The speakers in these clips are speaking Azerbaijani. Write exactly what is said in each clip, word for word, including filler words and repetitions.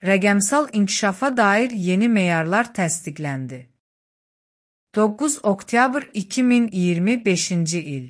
Rəqəmsal inkişafa dair yeni meyarlar təsdiqləndi. doqquz oktyabr iki min iyirmi beşinci il.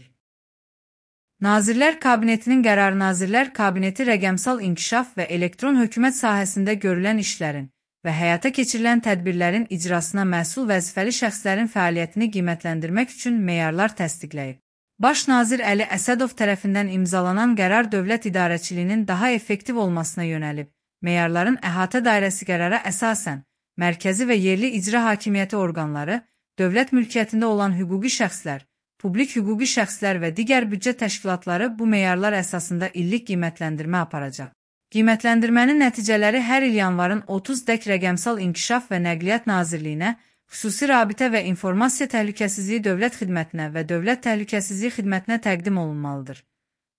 Nazirlər Kabinetinin qərarı Nazirlər Kabineti rəqəmsal inkişaf və elektron hökumət sahəsində görülən işlərin və həyata keçirilən tədbirlərin icrasına məsul vəzifəli şəxslərin fəaliyyətini qiymətləndirmək üçün meyarlar təsdiqləyib. Baş nazir Əli Əsədov tərəfindən imzalanan qərar dövlət idarəçiliyinin daha effektiv olmasına yönəlib. Meyarların əhatə dairəsi qərara əsasən, mərkəzi və yerli icra hakimiyyəti orqanları, dövlət mülkiyyətində olan hüquqi şəxslər, publik hüquqi şəxslər və digər büdcə təşkilatları bu meyarlar əsasında illik qiymətləndirmə aparacaq. Qiymətləndirmənin nəticələri hər il yanvarın otuz dək Rəqəmsal İnkişaf və Nəqliyyat Nazirliyinə, Xüsusi Rabitə və İnformasiya Təhlükəsizliyi Dövlət Xidmətinə və Dövlət Təhlükəsizliyi Xidmətinə təqdim olunmalıdır.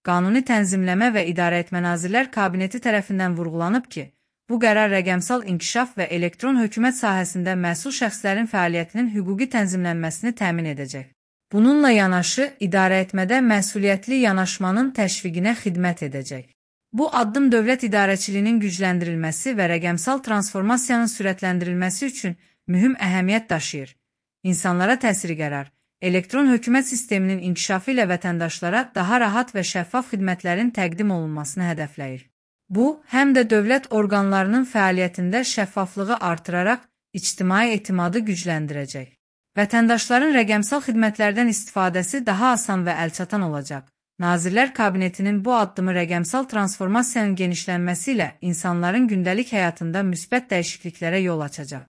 Qanuni Tənzimləmə və İdarəetmə Nazirlər Kabineti tərəfindən vurğulanıb ki, bu qərar rəqəmsal inkişaf və elektron hökumət sahəsində məsul şəxslərin fəaliyyətinin hüquqi tənzimlənməsini təmin edəcək. Bununla yanaşı, idarəetmədə məsuliyyətli yanaşmanın təşviqinə xidmət edəcək. Bu addım dövlət idarəçiliyinin gücləndirilməsi və rəqəmsal transformasiyanın sürətləndirilməsi üçün mühüm əhəmiyyət daşıyır. İnsanlara təsiri qərar, elektron hökumət sisteminin inkişafı ilə vətəndaşlara daha rahat və şəffaf xidmətlərin təqdim olunmasını hədəfləyir. Bu, həm də dövlət orqanlarının fəaliyyətində şəffaflığı artıraraq ictimai etimadı gücləndirəcək. Vətəndaşların rəqəmsal xidmətlərdən istifadəsi daha asan və əlçatan olacaq. Nazirlər Kabinetinin bu addımı rəqəmsal transformasiyanın genişlənməsi ilə insanların gündəlik həyatında müsbət dəyişikliklərə yol açacaq.